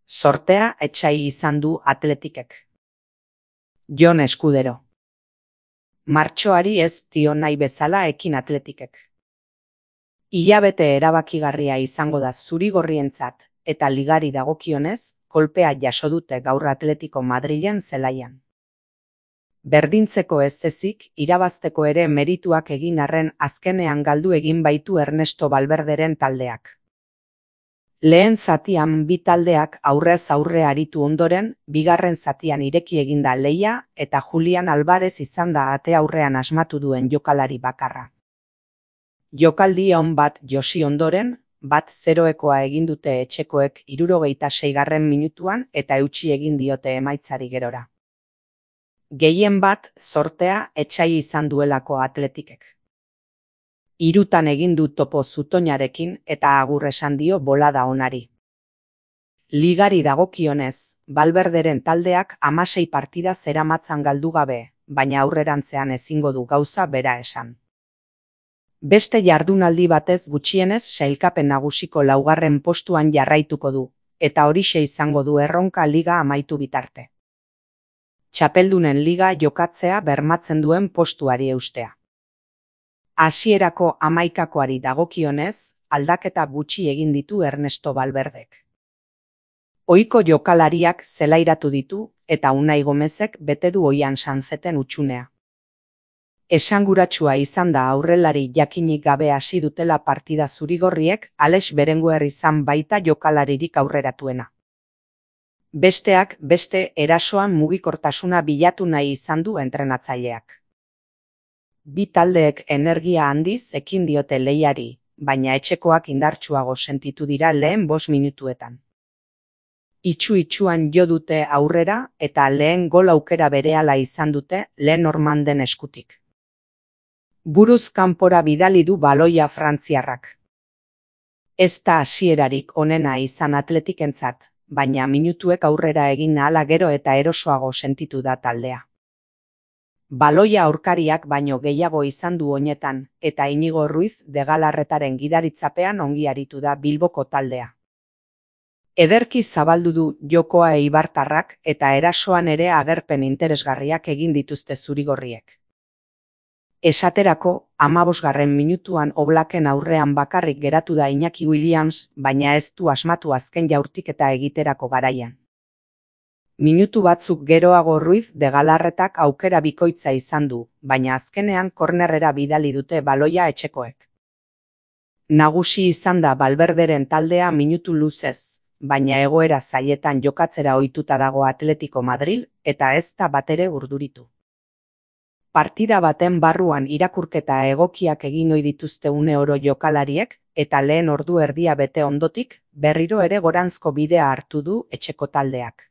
Sortea etsai izan du Atletikek. Jon Eskudero. Martxoari ez dio nahi bezala ekin Atletikek. Hilabete erabakigarria izango da zuri-gorrientzat eta ligari dagokionez, kolpea jaso dute gaur Atletico Madrilen zelaian. Berdintzeko ez ezik, irabazteko ere merituak egin arren azkenean galdu egin baitu Ernesto Valverderen taldeak. Lehen zatian bi taldeak aurrez aurre aritu ondoren, bigarren zatian ireki eginda lehia eta Julian Alvarez izan da ate aurrean asmatu duen jokalari bakarra. Jokaldi on bat josi ondoren, 1-0 egin dute etxekoek 76. minutuan eta eutsi egin diote emaitzari gerora. Gehien bat sortea etsai izan duelako Atletikek. 3 egin du topo zutoinarekin eta agur esan dio bolada onari. Ligari dagokionez, Valverderen taldeak 16 partida zeramatzan galdu gabe, baina aurrerantzean ezingo du gauza bera esan. Beste jardunaldi batez gutxienez sailkapen nagusiko 4. postuan jarraituko du, eta horixe izango du erronka liga amaitu bitarte. Txapeldunen liga jokatzea bermatzen duen postuari eustea. Hasierako 11koari dagokionez, aldaketa gutxi egin ditu Ernesto Valverdek. Ohiko jokalariak zelairatu ditu eta Unai Gomezek bete du oian Sanzeten utxunea. Esanguratsua izan da aurrelari jakinik gabe hasi dutela partida zurigorriek, Alex Berenguer izan baita jokalaririk aurreratuena. Besteak beste erasoan mugikortasuna bilatu nahi izan du entrenatzaileak. Bi taldeek energia handiz ekin diote lehiari, baina etxekoak indartsuago sentitu dira lehen 5 minutuetan. Itxu-itxuan jo dute aurrera eta lehen gol aukera berehala izan dute Lenormanden eskutik. Buruz kanpora bidali du baloia frantziarrak. Ez da hasierarik onena izan Atletikentzat, baina minutuek aurrera egin ahala gero eta erosoago sentitu da taldea. Baloia aurkariak baino gehiago izan du oinetan, eta Inigo Ruiz de Galarretaren gidaritzapean ongi aritu da Bilboko taldea. Ederki zabaldu du jokoa eibartarrak eta erasoan ere agerpen interesgarriak egin dituzte zurigorriek. Esaterako, 15. minutuan Oblaken aurrean bakarrik geratu da Iñaki Williams, baina ez du asmatu azken jaurtiketa egiterako garaian. Minutu batzuk geroago Ruiz de Galarretak aukera bikoitza izan du, baina azkenean kornerrera bidali dute baloia etxekoek. Nagusi izan da Valverderen taldea minutu luzez, baina egoera zailetan jokatzera ohituta dago Atletico Madril eta ez da batere urduritu. Partida baten barruan irakurketa egokiak egin ohi dituzte une oro jokalariek eta lehen ordu erdia bete ondotik, berriro ere goranzko bidea hartu du etxeko taldeak.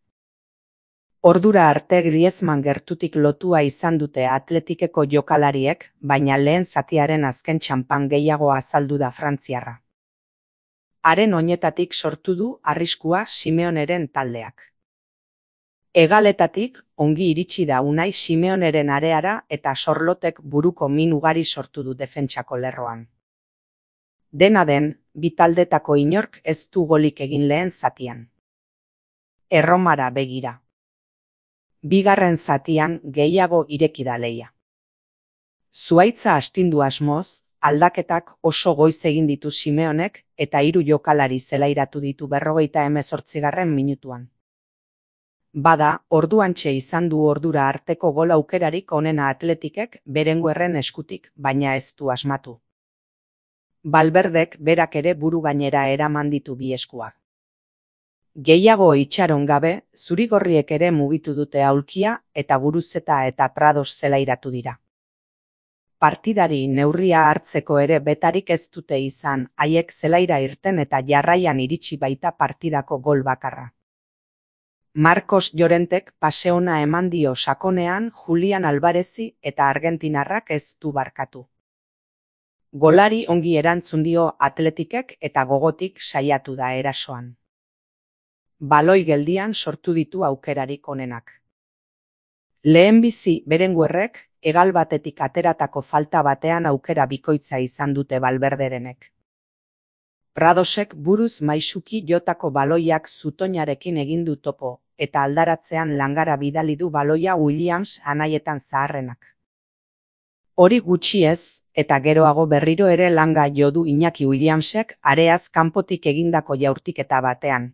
Ordura arte Griezmann gertutik lotua izan dute Atletikeko jokalariek, baina lehen zatiaren azken txanpan gehiago azaldu da frantziarra. Haren oinetatik sortu du arriskua Simeoneren taldeak. Hegaletatik ongi iritsi da Unai Simeoneren areara eta Sorlotek buruko min ugari sortu du defentsako lerroan. Dena den, bi taldetako inork ez du golik egin lehen zatian. Erromara begira. Bigarren zatian gehiago ireki da lehia. Zuhaitza astindu asmoz, aldaketak oso goiz egin ditu Simeonek eta 3 jokalari zelairatu ditu 58. minutuan. Bada, orduantxe izan du ordura arteko gol aukerarik onena Atletikek Berenguerren eskutik, baina ez du asmatu. Valverdek berak ere buru gainera eraman ditu bi eskuak. Gehiago itxaron gabe, zurigorriek ere mugitu dute aulkia eta Guruzeta eta Prados zelairatu dira. Partidari neurria hartzeko ere betarik ez dute izan, haiek zelaira irten eta jarraian iritsi baita partidako gol bakarra. Marcos Llorentek pase ona eman dio sakonean Julian Alvarezi eta argentinarrak ez du barkatu. Golari ongi erantzun dio Atletikek eta gogotik saiatu da erasoan. Baloi geldian sortu ditu aukerarik onenak. Lehenbizi Berenguerrek hegal batetik ateratako falta batean aukera bikoitza izan dute Valverderenek. Pradosek buruz maisuki jotako baloiak zutoinarekin egin du topo, eta aldaratzean langara bidali du baloia Williams anaietan zaharrenak. Hori gutxi ez, eta geroago berriro ere langa jo du Iñaki Williamsek areaz kanpotik egindako jaurtiketa batean.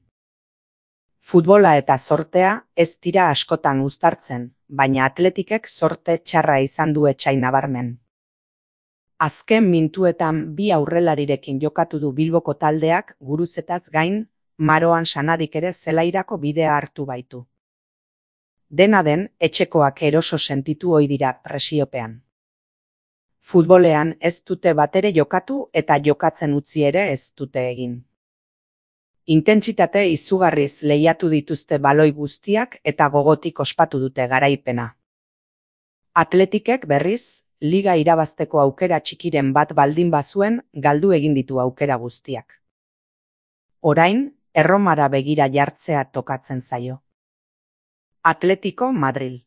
Futbola eta zortea ez dira askotan uztartzen, baina Atletikek zorte txarra izan du etsai nabarmen. Azken minutuetan bi aurrelarirekin jokatu du Bilboko taldeak Guruzetaz gain, Maroan Sanadik ere zelairako bidea hartu baitu. Dena den, etxekoak eroso sentitu ohi dira presiopean. Futbolean ez dute batere jokatu eta jokatzen utzi ere ez dute egin. Intentsitate izugarriz lehiatu dituzte baloi guztiak eta gogotik ospatu dute garaipena. Atletikek berriz, liga irabazteko aukera txikiren bat baldin bazuen galdu egin ditu aukera guztiak. Orain, Erromara begira jartzea tokatzen zaio. Atletico Madril.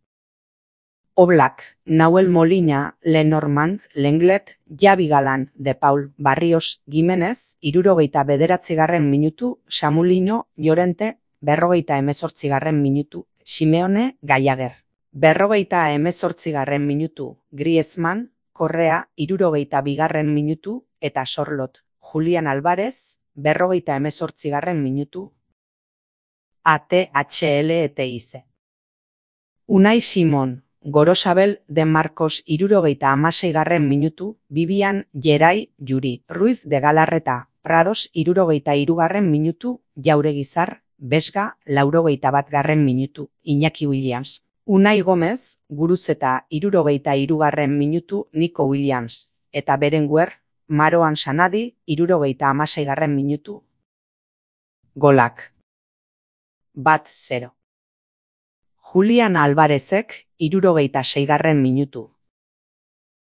Oblak, Nahuel Molina, Lenormand, Lenglet, Javi Galan, De Paul, Barrios, Gimenez, 79. minutu, Samulino, Llorente, 48. minutu, Simeone, Gallagher. 48. minutu, Griezmann, Correa, 72. minutu, eta Sorlot, Julián Álvarez, 48. minutu. ATHLETIC. Unai Simon, Gorosabel de Marcos 76. minutu, Vivian, Geray, Yuri, Ruiz de Galarreta, Prados 73. minutu, Jauregizar, Besga 81. minutu, Iñaki Williams. Unai Gomez, Guruzeta 73. minutu, Nico Williams, eta Berenguer, Maroan Sanadi 76. minutu. Golak. 1-0. Julián Álvarezek 76. minutu.